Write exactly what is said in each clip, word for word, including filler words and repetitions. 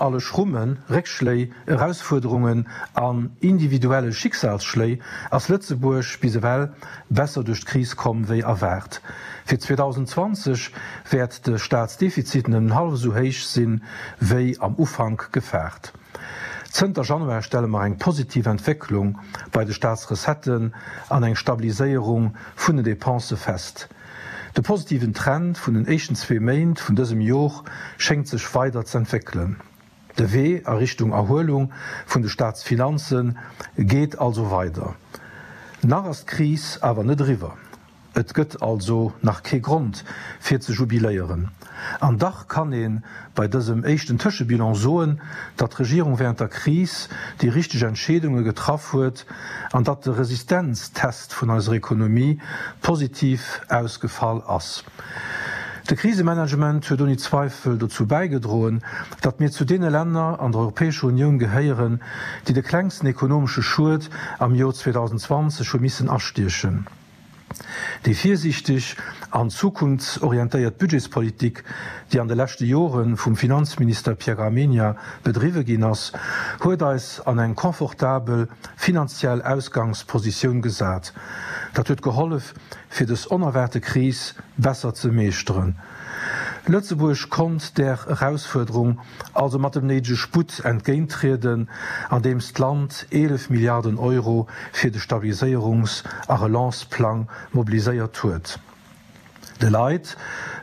alle Schrummen, Réckschléi, Erausfuerderungen an individuelle Schicksalsschléi ass Lëtzebuerg bis ewell besser duerch d'Kris komm wéi erwaart. Fir zweedausendzwanzeg wäert de Staatsdefizit nëmmen hallef esou héich sinn, wéi am Ufank gefaart. Zënter Januar stelle mer eng positiv Entwécklung bei de Staatsrecetten an eng Stabiliséierung vun den Depensë fest. De positiven Trend vun den éischten zwee Méint vun dësem Jor schéngt sech weider z'entwéckelen. De Wee a Richtung Erhuelung vun de Staatsfinanze geet also weider. Nach ass d'Kris awer net eriwwer. Et gëtt also nach kee Grond fir ze jubiléieren. An dach kann ee bei dësem éischten Tëschebilan soen, datt d'Regierung während der Kris déi richteg Entscheedunge getraff huet an datt de Resistenztest vun eiser Ekonomie positiv ausgefall ass. De Krisemanagement huet ouni Zweifel dozou bäigedroen, datt mir zu deene Länner an der Europäescher Unioun gehéieren, déi de klengsten ekonomesche Schued am Jor zweedausendzwanzeg hu missen astiechen. Déi virsiichteg an zukunftsorientéiert Budgetspolitik, déi an de leschte Jore vum Finanzminister Pierre Gramegna bedriwwe ginn ass, huet eis an eng confortabel finanziell Ausgangspositioun gesat. Dat huet gehollef, fir dës onerwaarte Kris besser ze meeschteren. Lëtzebuerg konnt där Erausfuerderung also mat dem néidege Sputt entgéinttrieden, andeems d'Land eelef Milliarden Euro fir de Stabiliséierungs a Relanceplang mobiliséiert huet. De Leit,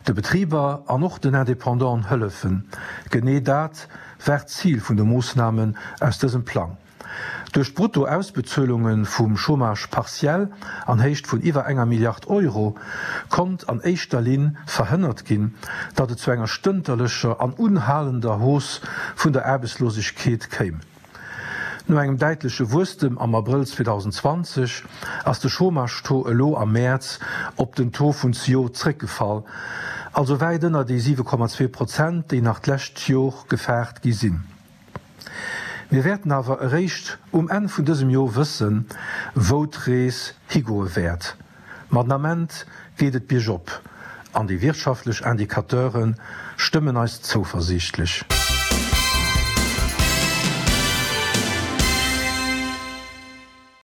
de Betriber an och den Independanten hëllefen, genee dat war d'Zil vun de Moossnamen aus dësem Plang. Duerch d'Brutto-Ausbezuelunge vum Chômage partiel an Héicht vun iwwer enger Milliard Euro konnt an éischter Linn verhënnert ginn, datt et zu enger stënterlecher an unhalender Hausse vun der Aarbechtslosegkeet kéim. No engem däitleche Wuesstem am Abrëll zweedausendzwanzeg ass de Chômage-Taux elo am Mäerz op den Taux vun zejoert zréckgefall, also wäit ënner déi siwe Komma zwee Prozent, déi nach d'lescht Jor gefaart gi sinn. Mir wäerten awer eréischt um Enn vun dësem Jor wëssen, wou d'Rees higoe wäert. Ma den Ament geet et biergop an déi wirtschaftlech Indicateure stëmmen eis zouversiichtlech.